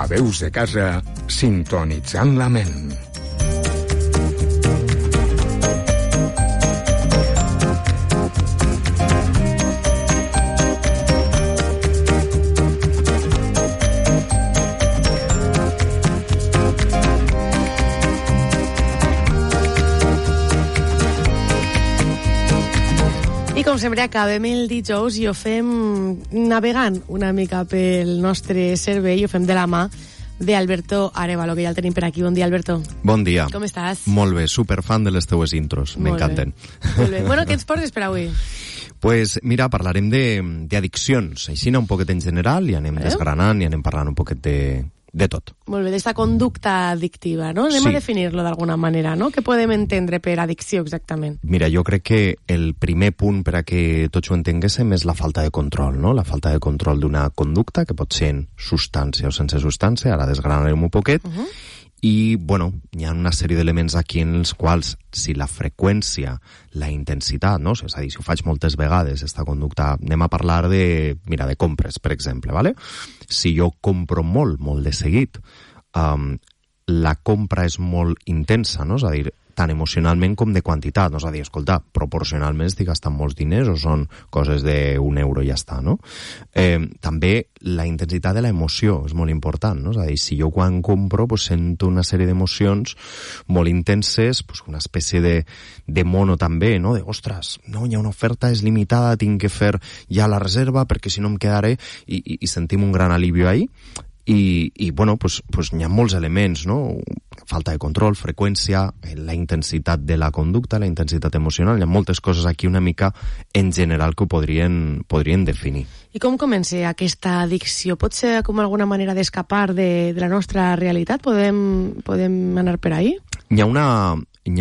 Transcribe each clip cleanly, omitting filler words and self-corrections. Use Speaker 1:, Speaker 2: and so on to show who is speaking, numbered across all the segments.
Speaker 1: a Veus de Casa, sintonitzant la ment.
Speaker 2: Com sempre, acabem el dijous i ho fem navegant una mica pel nostre cervell, ho fem de la mà d'Alberto Arévalo, que ja el tenim per aquí. Bon dia, Alberto.
Speaker 3: Bon dia.
Speaker 2: Com estàs?
Speaker 3: Molt bé, superfan de les teues intros, m'encanten.
Speaker 2: Molt bé. Bueno, què ens portes per avui?
Speaker 3: Pues mira, parlarem d'addiccions, així un poquet en general, i anem desgranant i anem parlant un poquet de tot.
Speaker 2: Molt bé, d'esta conducta addictiva, no? Anem a definir-lo d'alguna manera, no? Què podem entendre per addicció exactament?
Speaker 3: Mira, jo crec que el primer punt per a que tots ho entenguéssim és la falta de control, no? La falta de control d'una conducta, que pot ser en substància o sense substància, ara desgranarem un poquet, i, bueno, hi ha una sèrie d'elements aquí en els quals, si la freqüència, la intensitat, no? És a dir, si ho faig moltes vegades, aquesta conducta, anem a parlar de compres, per exemple, ¿vale? Si jo compro molt de seguit, la compra és molt intensa, no? És a dir, tant emocionalment com de quantitat, no? És a dir, escolta, proporcionalment estic gastant molts diners o són coses d'1 euro i ja està, no? També la intensitat de l'emoció és molt important, no? És a dir, si jo quan compro sento una sèrie d'emocions molt intenses, una espècie de mono també, no? De, ostres, no, hi ha una oferta, és limitada, tinc que fer ja la reserva perquè si no em quedaré, i sentim un gran alivio ahí. I bueno, hi ha molts elements, no? Falta de control, freqüència, la intensitat de la conducta, la intensitat emocional, hi ha moltes coses aquí una mica en general que ho podrien definir.
Speaker 2: I com comença aquesta addicció? Pot ser com alguna manera d'escapar de la nostra realitat? Podem anar per ahí?
Speaker 3: Hi ha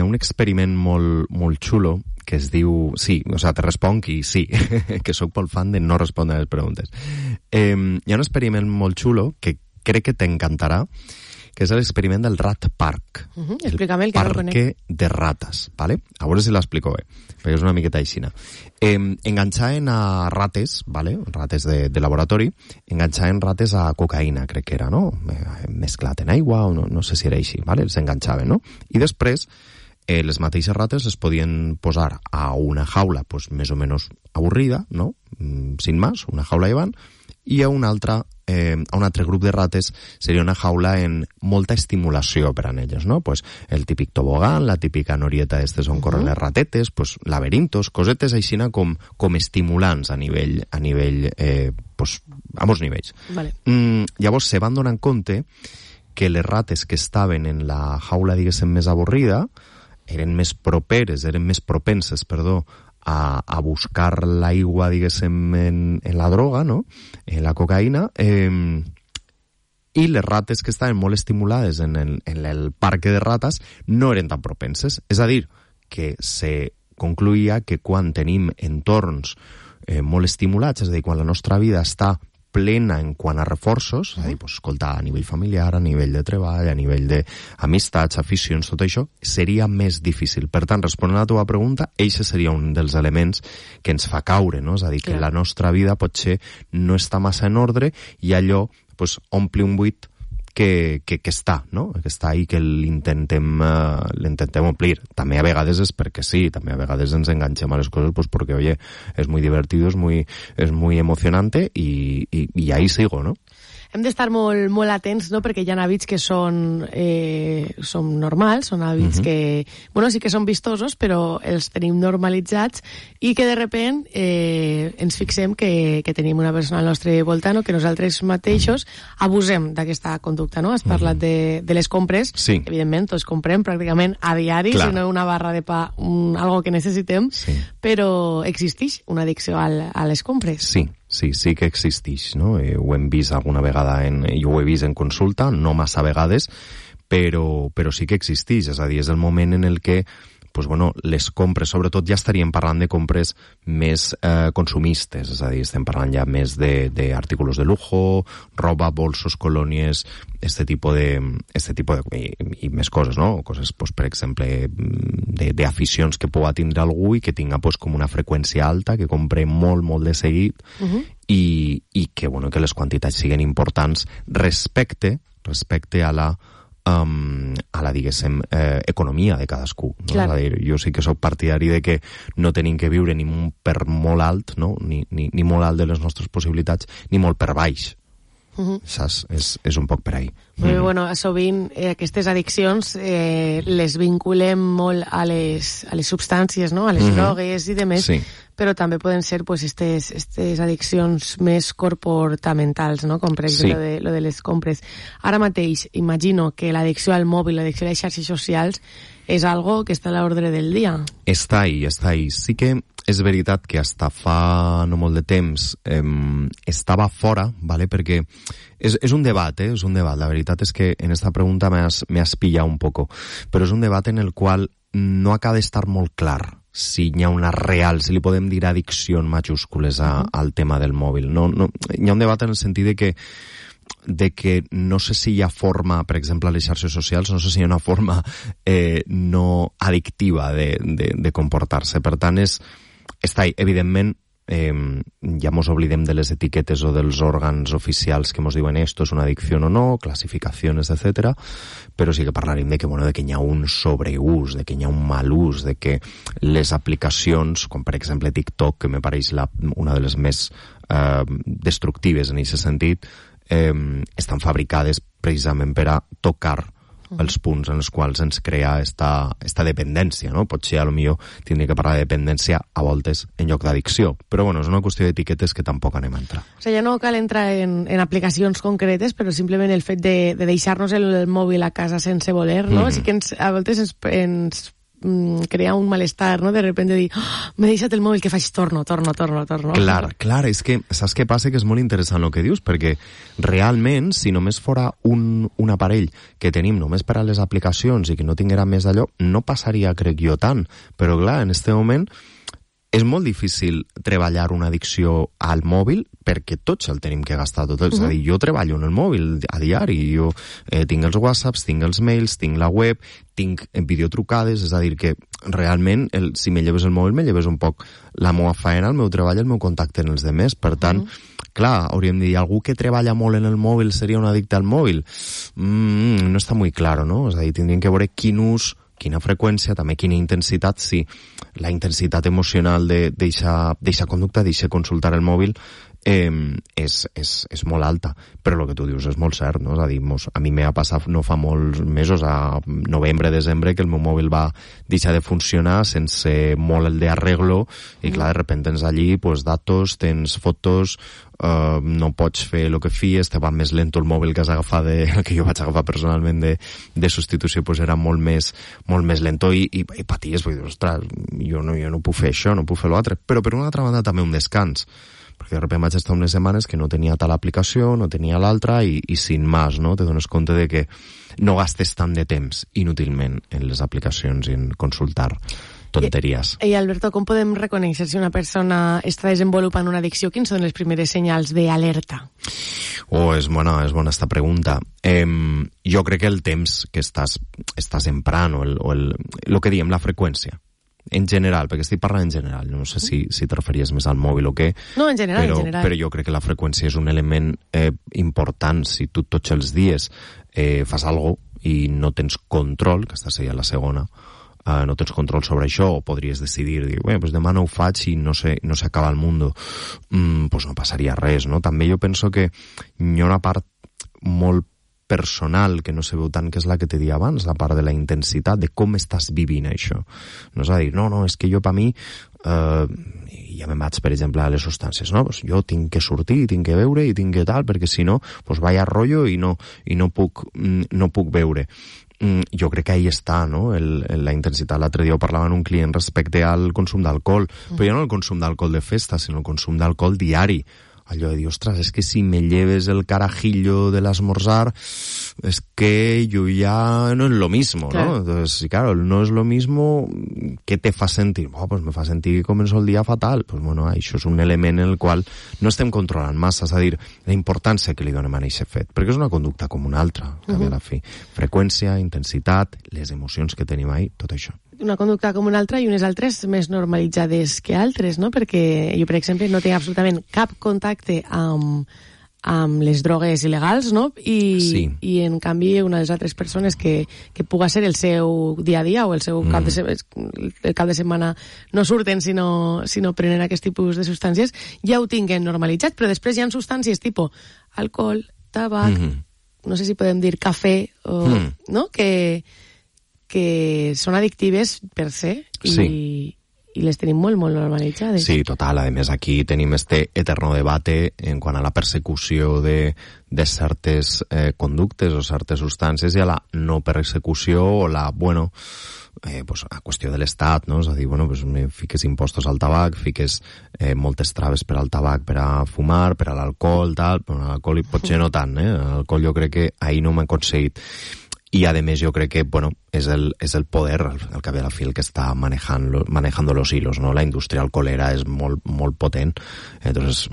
Speaker 3: un experiment molt xulo que es diu... Sí, o sigui, te responc i sí, que sóc molt fan de no respondre a les preguntes. Hi ha un experiment molt xulo que crec que t'encantarà, que és l'experiment del Rat Park.
Speaker 2: Explícame, el que no el conec.
Speaker 3: Parque de rates, ¿vale? A veure si l'explico bé, perquè és una miqueta aixina. Enganxaven a rates, ¿vale? Rates de laboratori, enganxaven rates a cocaïna, crec que era, no? Mesclat en aigua, o no sé si era així, ¿vale? Els enganxaven, no? I després les mateixes rates es podien posar a una jaula més o menys avorrida, no? Sin más, una jaula llevant, i a un altre grup de rates seria una jaula en molta estimulació per a elles, no? El típic tobogán, la típica norieta d'estes on corren les ratetes, laberintos, cosetes aixina com estimulants a nivell a molts nivells.
Speaker 2: Vale.
Speaker 3: Llavors se van donar compte que les rates que estaven en la jaula, diguéssim, més avorrida, eren més propenses, a buscar l'aigua, diguéssim, en la droga, no? En la cocaïna, i les rates que estaven molt estimulades en el parc de rates no eren tan propenses. És a dir, que se concluïa que quan tenim entorns molt estimulats, és a dir, quan la nostra vida està plena en quant a reforços, és a dir, escolta, a nivell familiar, a nivell de treball, a nivell d'amistats, aficions, tot això, seria més difícil. Per tant, responent a la teva pregunta, eixe seria un dels elements que ens fa caure, no? És a dir, que la nostra vida potser no està massa en ordre i allò ompli un buit que està, no? Que està ahí, que l'intentem omplir. També a vegades és perquè sí, també a vegades ens enganxem a les coses perquè, oye, es muy divertido, es muy emocionante y ahí sigo, ¿no?
Speaker 2: Hem d'estar molt atents, no?, perquè hi ha hàbits que són normals, són hàbits que, bueno, sí que són vistosos, però els tenim normalitzats i que de sobte ens fixem que tenim una persona al nostre voltant o que nosaltres mateixos abusem d'aquesta conducta, no? Has parlat de les compres.
Speaker 3: Sí.
Speaker 2: Evidentment, tots comprem pràcticament a diari, si no una barra de pa, algo que necessitem, però existeix una addicció a les compres.
Speaker 3: Sí que existeix, no? Ho hem vist alguna vegada, jo ho he vist en consulta, no massa vegades, però sí que existeix, és a dir, és el moment en el que les compres, sobretot ja estaríem parlant de compres més consumistes, és a dir, estem parlant ja més d'artículos de lujo, roba, bolsos, colònies, este tipo de i més coses, no? Coses, per exemple, d'aficions que pugui tindre algú i que tinga com una freqüència alta, que compre molt de seguit i que les quantitats siguin importants respecte respecte a la diguéssim, economia de cadascú. No?
Speaker 2: Clar.
Speaker 3: És a dir, jo sí que sóc partidari de que no tenim que viure ni per molt alt, no? ni molt alt de les nostres possibilitats, ni molt per baix. Saps? És un poc per ahí.
Speaker 2: Però, bueno, sovint aquestes addiccions les vinculem molt a les substàncies, no? A les drogues i demés,
Speaker 3: Sí.
Speaker 2: però també poden ser pues, estes addiccions més comportamentals, no? Com per exemple lo de les compres. Ara mateix, imagino que l'addicció al mòbil, l'addicció a les xarxes socials, és algo que està a l'ordre del dia. Està
Speaker 3: ahí. Sí que és veritat que hasta fa no molt de temps estava fora, ¿vale? Perquè és un debat, és un debat. La veritat és que en esta pregunta me has pillat un poco, però és un debat en el qual no acaba d'estar molt clar si hi ha una real, si li podem dir addicció en majúscules al tema del mòbil. No, hi ha un debat en el sentit de que no sé si hi ha forma, per exemple, a les xarxes socials, no sé si hi ha una forma no addictiva de comportar-se. Per tant, està, evidentment, ja mos oblidem de les etiquetes o dels òrgans oficials que mos diuen esto és una addicció o no, classificacions, etc. Però sí que parlarem de que hi ha un sobreús, de que hi ha un mal ús, de que les aplicacions, com per exemple TikTok, que me pareix una de les més destructives en aquest sentit, estan fabricades precisament per a tocar els punts en els quals ens crea esta dependència, no? Potser potser tindria que parlar de dependència a voltes en lloc d'addicció, però bueno, és una qüestió d'etiquetes que tampoc anem a entrar. O sigui,
Speaker 2: ja no cal entrar en aplicacions concretes, però simplement el fet de deixar-nos el mòbil a casa sense voler, no? Sí que a voltes ens crea un malestar, no? De repente dir, m'he deixat el mòbil, què faig? Torno.
Speaker 3: Clar, és que saps què passa? Que és molt interessant el que dius, perquè realment, si només fora un aparell que tenim només per a les aplicacions i que no tinguera més d'allò, no passaria, crec jo, tant. Però clar, en este moment és molt difícil treballar una addicció al mòbil perquè tots el tenim que gastar tot. És a dir, jo treballo en el mòbil a diari, jo tinc els whatsapps, tinc els mails, tinc la web, tinc videotrucades, és a dir que realment si me lleves el mòbil me lleves un poc la meva faena, el meu treball, el meu contacte en els demés. Per tant, clar, hauríem de dir, algú que treballa molt en el mòbil seria un addicte al mòbil? No està molt clar, no? És a dir, tindríem que veure quin ús, quina freqüència, també quina intensitat, si la intensitat emocional d'eixa conducta, d'eixa consultar el mòbil, és molt alta. Però el que tu dius és molt cert, no? És a dir, a mi m'ha passat no fa molts mesos, a novembre, desembre, que el meu mòbil va deixar de funcionar sense molt el d'arreglo, i clar, de repente tens allí datos, tens fotos, no pots fer el que fies, te va més lento el mòbil que has agafat, el que jo vaig agafar personalment de substitució, era molt més lento i paties, vull dir, ostres, jo no puc fer això, no puc fer l'altre, però per una altra banda també un descans, perquè de sobte vaig estar unes setmanes que no tenia tal aplicació, no tenia l'altra i sin más, no? Te dones compte de que no gastes tant de temps inútilment en les aplicacions i en consultar tonteries.
Speaker 2: I Alberto, com podem reconèixer si una persona està desenvolupant una addicció? Quins són les primeres senyals d'alerta?
Speaker 3: És bona esta pregunta. Jo crec que el temps que estàs emprant o el que diem, la freqüència. En general, perquè estic parlant en general, no sé si te referies més al mòbil o què.
Speaker 2: No, en general,
Speaker 3: però jo crec que la freqüència és un element important. Si tu tots els dies fas alguna cosa i no tens control, que aquesta seria la segona, no tens control sobre això, o podries decidir, dir, demà no ho faig i no s'acaba el món, no passaria res, no? També jo penso que hi ha una part molt personal que no se veu tant, que és la que t'he dit abans, la part de la intensitat, de com estàs vivint això. No és a dir, no, és que jo per mi ja me'n vaig, per exemple, a les substàncies, no? Jo tinc que sortir, tinc que beure i tinc que tal, perquè si no, vaya rotllo i no puc beure. Jo crec que ahí està, no? La intensitat. L'altre dia ho parlava amb un client respecte al consum d'alcohol, però ja no el consum d'alcohol de festa, sinó el consum d'alcohol diari. Allò de dir, ostres, és que si me lleves el carajillo de l'esmorzar, es que yo ya no es lo mismo, claro. ¿No? Entonces, claro, no es lo mismo, ¿qué te fa sentir? Me fa sentir que començo el dia fatal. Això és un element en el qual no estem controlant massa, és a dir, la importància que li donem a aquest fet, perquè és una conducta com una altra, a la fi. Freqüència, intensitat, les emocions que tenim ahí, tot això.
Speaker 2: Una conducta com una altra i unes altres més normalitzades que altres, no? Perquè jo, per exemple, no tinc absolutament cap contacte amb amb les drogues il·legals, no? I en canvi una de les altres persones que puga ser el seu dia a dia o el seu cap de setmana no surten si no prenen aquest tipus de substàncies, ja ho tinguen normalitzat, però després hi ha substàncies tipus alcohol, tabac, no sé si podem dir cafè, no? Que són addictives per se i les tenim molt, molt normalitzades.
Speaker 3: Sí, total. A més, aquí tenim este eterno debate en quant a la persecució de certes conductes o certes substàncies i a la no persecució o la, pues, a qüestió de l'Estat, no? És a dir, pues, fiques impostos al tabac, fiques moltes traves per al tabac, per a fumar, per a l'alcohol, tal. Però l'alcohol potser no tant, L'alcohol jo crec que ahir no m'ha aconseguit. Y además yo creo que, es el poder, al cap i a la fi, el que está manejando los hilos, ¿no? La industria alcoholera es muy potente, entonces,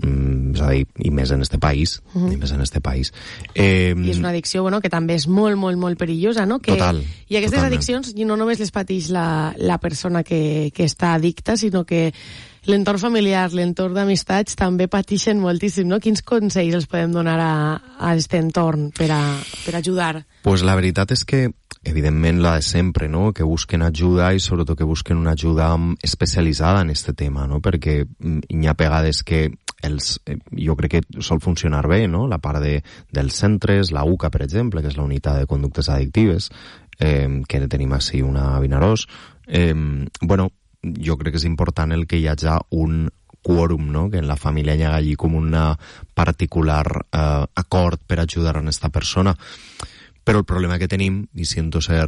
Speaker 3: y més en este país, i
Speaker 2: és una addicció, que també és molt, molt, molt perillosa, no?
Speaker 3: Total.
Speaker 2: I aquestes addiccions no només les pateix la persona que està addicta, sinó que l'entorn familiar, l'entorn d'amistats també pateixen moltíssim, no? Quins consells els podem donar a aquest entorn per ajudar?
Speaker 3: Pues la veritat és que, evidentment, la de sempre, no? Que busquen ajuda i sobretot que busquen una ajuda especialitzada en este tema, no? Perquè hi ha vegades que jo crec que sol funcionar bé, no? La part dels centres, la UCA, per exemple, que és la unitat de conductes addictives, que tenim així una a Vinaròs, jo crec que és important el que hi hagi un quòrum, no? Que en la família hi hagi com un particular acord per ajudar a aquesta persona. Però el problema que tenim, i siento ser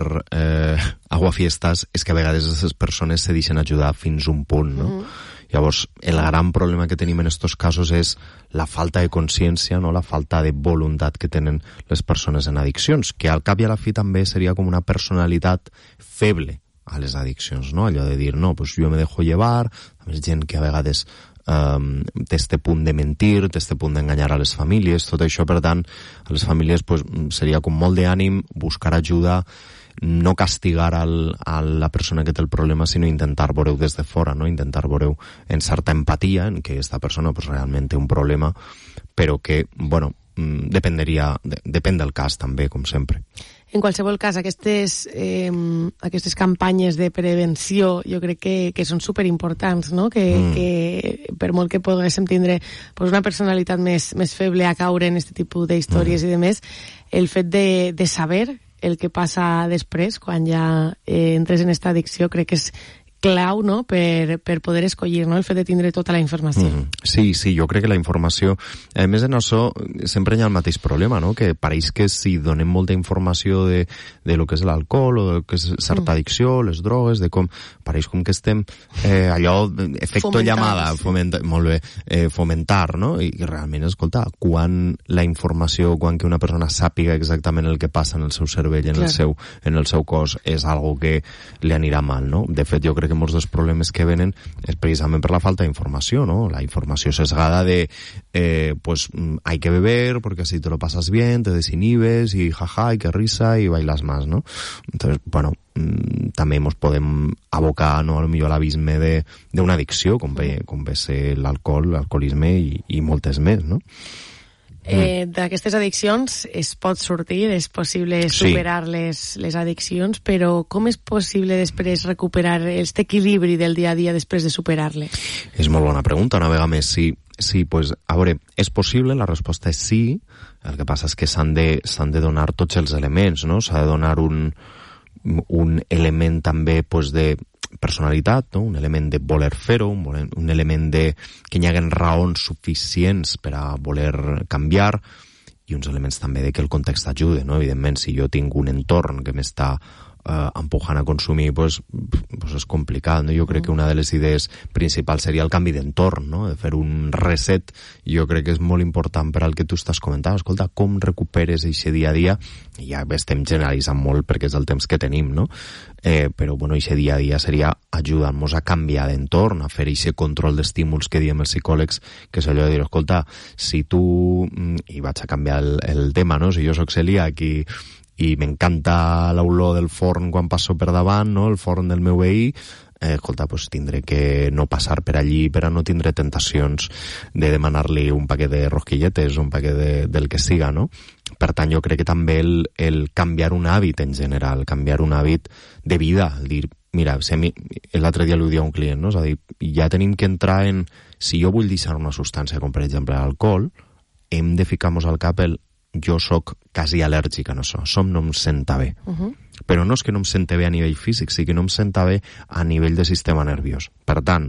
Speaker 3: aguafiestas, és que a vegades aquestes persones se deixen ajudar fins un punt, no? Llavors, el gran problema que tenim en estos casos és la falta de consciència, no? La falta de voluntat que tenen les persones en addiccions, que al cap i a la fi també seria com una personalitat feble a les addiccions, no? Allò de dir, no, pues jo me dejo llevar, a més gent que a vegades té este punt de mentir, té este punt d'enganyar a les famílies, tot això, per tant, a les famílies pues, seria com molt d'ànim buscar ajuda, no castigar a la persona que té el problema, sinó intentar veure-ho des de fora, no? Intentar veure-ho en certa empatia, en que aquesta persona pues, realment té un problema, però que, depèn del cas també, com sempre.
Speaker 2: En qualsevol cas, aquestes campanyes de prevenció jo crec que són superimportants, no? Que per molt que poguéssim tindre una personalitat més feble a caure en aquest tipus d'històries i demés, el fet de saber el que passa després, quan ja entres en aquesta addicció, crec que és clau, no?, per poder escollir, no?, el fet de tindre tota la informació.
Speaker 3: Sí, jo crec que la informació... A més, en això sempre hi ha el mateix problema, no?, que pareix que si donem molta informació de lo que és l'alcohol o de lo que és certa addicció, les drogues, de com... Pareix com que estem allò, efecto llamada, fomentar, no?, i realment, escolta, quan la informació, quan que una persona sàpiga exactament el que passa en el seu cervell, en el seu cos, és algo que li anirà mal, no? De fet, jo crec que molts dels problemes que venen és precisament per la falta d'informació, ¿no? La informació sesgada de pues hay que beber porque así te lo pasas bien, te desinhibes y jaja, y que risa y bailas más, ¿no? Entonces, també ens podem abocar, no, potser a l'abisme d'una addicció, com ve ser l'alcohol, l'alcoholisme i moltes més, no?
Speaker 2: D'aquestes addiccions es pot sortir, és possible superar les addiccions, però com és possible després recuperar aquest equilibri del dia a dia després de superar-les?
Speaker 3: És molt bona pregunta, una vegada més. Sí, pues, a veure, és possible, la resposta és sí, el que passa és que s'han de donar tots els elements, no? S'ha de donar un element també pues, de personalitat, no? Un element de voler fer-ho, un element de que hi hagi raons suficients per a voler canviar i uns elements també de que el context ajude, no? Evidentment, si jo tinc un entorn que m'està empujant a consumir, pues és complicat, no? Jo crec que una de les idees principals seria el canvi d'entorn, no? De fer un reset. Jo crec que és molt important per al que tu estàs comentant. Escolta, com recuperes aquest dia a dia? I ja estem generalitzant molt perquè és el temps que tenim, no? Però, aquest dia a dia seria ajudar-nos a canviar d'entorn, a fer aquest control d'estímuls que diem els psicòlegs, que és allò de dir, escolta, si tu... I vaig a canviar el tema, no? Si jo soc celíac i m'encanta l'olor del forn quan passo per davant, no? El forn del meu veí, escolta, pues tindré que no passar per allí per a no tindre tentacions de demanar-li un paquet de rosquilletes, un paquet del que siga, no? Per tant, jo crec que també el canviar un hàbit en general, canviar un hàbit de vida, el dir, mira, si a mi, l'altre dia li ho dia a un client, no? És a dir, ja tenim que entrar en, si jo vull deixar una substància, com per exemple l'alcohol, hem de ficar-nos al cap el jo sóc quasi al·lèrgic a això, no em senta bé. Però no és que no em senta bé a nivell físic, sí que no em senta bé a nivell de sistema nerviós. Per tant,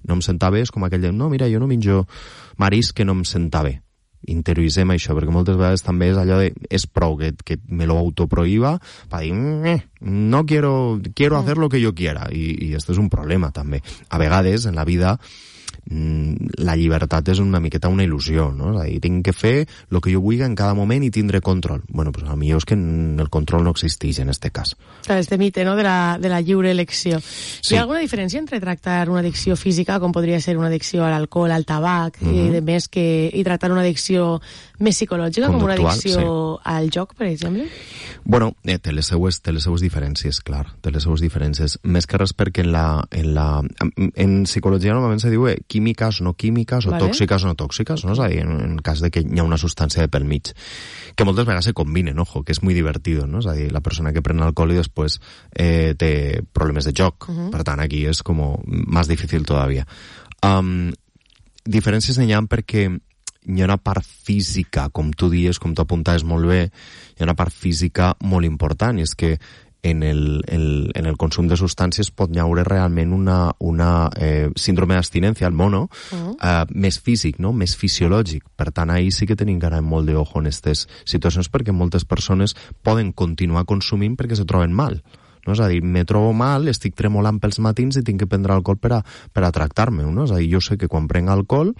Speaker 3: no em senta bé és com aquell de, no, mira, jo no menjo marisc que no em senta bé. Interioritzem això, perquè moltes vegades també és allò de, és prou que me lo autoprohíba per dir, no quiero hacer lo que yo quiera, i esto és un problema també. A vegades en la vida la llibertat és una miqueta una il·lusió, no? És a dir, tinc que fer el que jo vull en cada moment i tindré control. Bueno, pues a millor és que el control no existeix en este cas.
Speaker 2: Clar, este mite, no?, de la lliure elecció. Sí. Hi ha alguna diferència entre tractar una addicció física, com podria ser una addicció a l'alcohol, al tabac, i tractar una addicció més psicològica, com una addicció al joc, per exemple?
Speaker 3: Bueno, té les seues diferències, clar, té les seues diferències. Més que res perquè en psicologia normalment se diu químiques, no químiques, o tòxiques, no tòxiques, no? És a dir, en cas de que hi ha una substància de pel mig, que moltes vegades se combinen, ojo, que és muy divertido, no? És a dir, la persona que pren alcohol i després té problemes de joc, per tant, aquí és com més difícil todavía. Diferències n'hi ha perquè hi ha una part física, com tu dius, com tu apuntaves molt bé, hi ha una part física molt important, i és que en el consum de substàncies pot haure realment una síndrome d'abstinència, el mono, més físic, no? Més fisiològic. Per tant, ahir sí que tenim que anar molt d'ojo en aquestes situacions, perquè moltes persones poden continuar consumint perquè se troben mal. No? És a dir, me trobo mal, estic tremolant pels matins i tinc que prendre alcohol per a tractar-me, no? És a dir, jo sé que quan prenc alcohol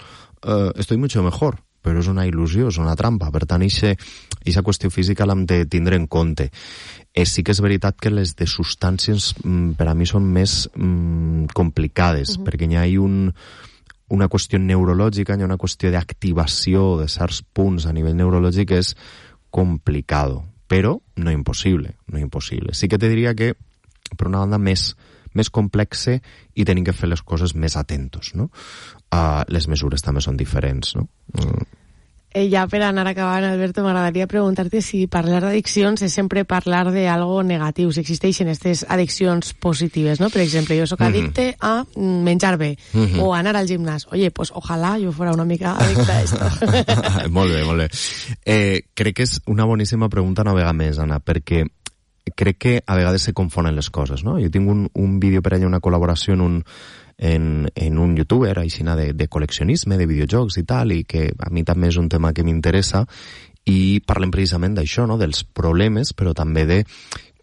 Speaker 3: estoy mucho mejor, però és una il·lusió, és una trampa. Per tant, aquesta qüestió física l'hem de tindre en compte. Sí que és veritat que les de substàncies per a mi són més complicades, perquè hi ha una qüestió neurològica, hi ha una qüestió d'activació de certs punts a nivell neurològic que és complicado, però no impossible, no impossible. Sí que te diria que, per una banda, més complexe i tenim que fer les coses més atentos, no? Les mesures també són diferents, no?
Speaker 2: Ja per anar acabant, Alberto, m'agradaria preguntar-te si parlar d'addiccions és sempre parlar d'algo negatiu, si existeixen aquestes addiccions positives, no? Per exemple, jo soc addicte a menjar bé, o a anar al gimnàs. Oye, pues ojalá yo fuera una mica adicta a esto.
Speaker 3: Molt bé, molt bé. Crec que és una boníssima pregunta una vegada més, Anna, perquè crec que a vegades se confonen les coses, no? Jo tinc un vídeo per allà, una col·laboració en un youtuber aixina de col·leccionisme, de videojocs i tal, i que a mi també és un tema que m'interessa, i parlem precisament d'això, no? Dels problemes, però també de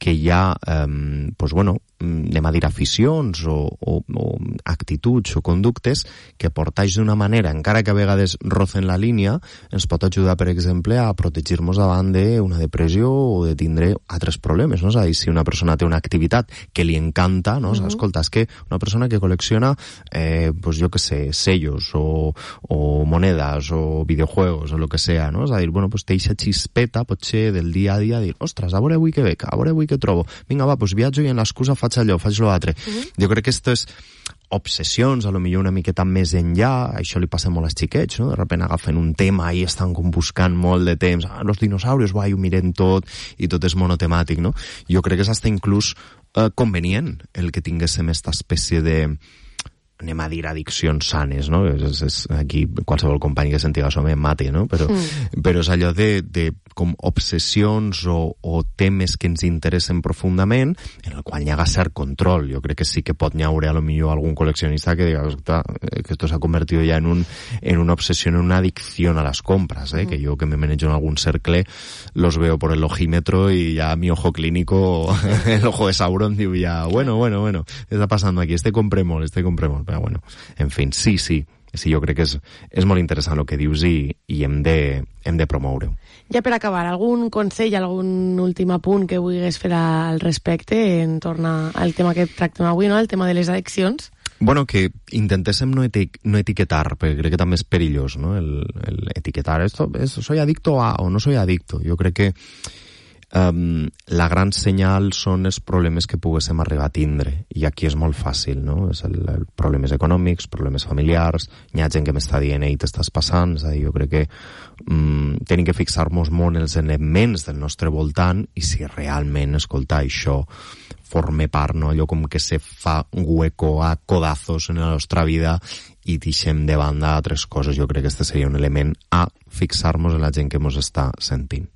Speaker 3: que hi ha, pues bueno, anem a dir aficions o actituds o conductes que portats d'una manera, encara que a vegades rocen la línia, ens pot ajudar, per exemple, a protegir-nos davant d'una depressió o de tindre altres problemes, no? És a dir, si una persona té una activitat que li encanta, no? Escolta, és que una persona que col·lecciona, pues jo que sé, sellos o monedes o videojuegos o lo que sea, no? És a dir, bueno, pues té eixa xispeta, potser del dia a dia, dir, ostres, a veure avui què veig, a veure avui què trobo, vinga va, pues viatjo i en l'excusa faig allò, faig l'altre. Jo crec que esto és obsessions, a lo millor una miqueta més enllà, això li passa molt als xiquets, no? De repente agafen un tema i estan com buscant molt de temps, los dinosaurios, ho mirem tot, i tot és monotemàtic, no? Jo crec que és hasta inclús convenient el que tinguéssim aquesta espècie de, anem a dir, addiccions sanes, no? És aquí qualsevol company que sentiga això me mate, no? Però és allò de com obsessions o temes que ens interessen profundament, en el qual hi ha cert control. Jo crec que sí que pot haure a lo millor algun col·leccionista que diga que esto se ha convertido ya en una obsesión, en una adicción a las compras, que yo que me manejo en algún cercle los veo por el ojímetro y ya mi ojo clínico, el ojo de Sauron, digo ya, bueno, ¿qué está pasando aquí? Este compremos, però bueno, en fin, sí, jo crec que és molt interessant el que dius i hem de promoure-ho.
Speaker 2: Ja per acabar, algun consell, algun últim apunt que vulguis fer al respecte en torn al tema que tractem avui, no? El tema de les addiccions?
Speaker 3: Bueno, que intentéssim no etiquetar, perquè crec que també és perillós, no? El etiquetar, soy adicto a o no soy adicto. Jo crec que la gran senyal són els problemes que poguéssim arribar a tindre, i aquí és molt fàcil, no? És el problemes econòmics, problemes familiars, hi ha gent que m'està dient ei, t'estàs passant, és a dir, jo crec que tenim que fixar-nos molt en els elements del nostre voltant i si realment, escolta, això forme part, no? Allò com que se fa hueco a codazos en la nostra vida i deixem de banda altres coses. Jo crec que este seria un element a fixar-nos en la gent que ens està sentint.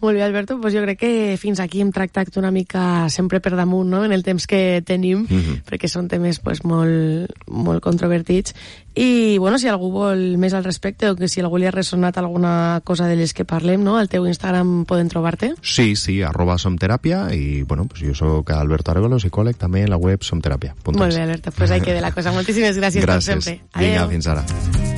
Speaker 2: Molt bé, Alberto, doncs jo crec que fins aquí hem tractat una mica sempre per damunt, no?, en el temps que tenim, perquè són temes pues, molt, molt controvertits. I, bueno, si algú vol més al respecte o que si algú li ha ressonat alguna cosa de les que parlem, no?, al teu Instagram poden trobar-te?
Speaker 3: Sí, @somteràpia i, bueno, pues jo soc Alberto Arevalo, psicòleg, també a la web somteràpia.es.
Speaker 2: Molt bé, Alberto, pues ahí queda la cosa. Moltíssimes gràcies, com sempre.
Speaker 3: Gràcies. Vinga, fins ara.